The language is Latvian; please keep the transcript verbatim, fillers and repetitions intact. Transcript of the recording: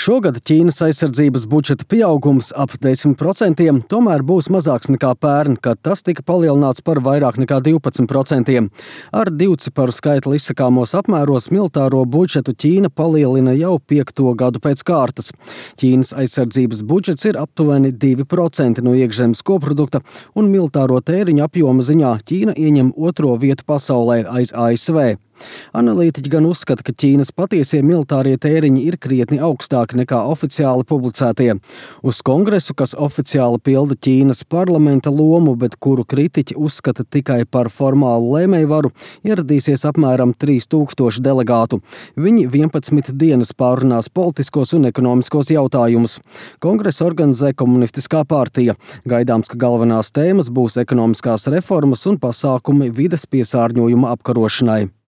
Šogad Ķīnas aizsardzības budžeta pieaugums ap desmit procentiem tomēr būs mazāks nekā pērn, kad tas tika palielināts par vairāk nekā divpadsmit procentiem. Ar divciparu skaitli izsakāmos apmēros militāro budžetu Ķīna palielina jau piekto gadu pēc kārtas. Ķīnas aizsardzības budžets ir aptuveni divi procenti no iekšzemes koprodukta, un militāro tēriņu apjoma ziņā Ķīna ieņem otro vietu pasaulē aiz A S V. Analītiķi gan uzskata, ka Ķīnas patiesie militārie tēriņi ir krietni augstāki nekā oficiāli publicētie. Uz kongresu, kas oficiāli pilda Ķīnas parlamenta lomu, bet kuru kritiķi uzskata tikai par formālu lēmējvaru, ieradīsies apmēram trīs tūkstoši delegātu. Viņi vienpadsmit dienas pārunās politiskos un ekonomiskos jautājumus. Kongresu organizē Komunistiskā partija. Gaidāms, ka galvenās tēmas būs ekonomiskās reformas un pasākumi vides piesārņojuma apkarošanai.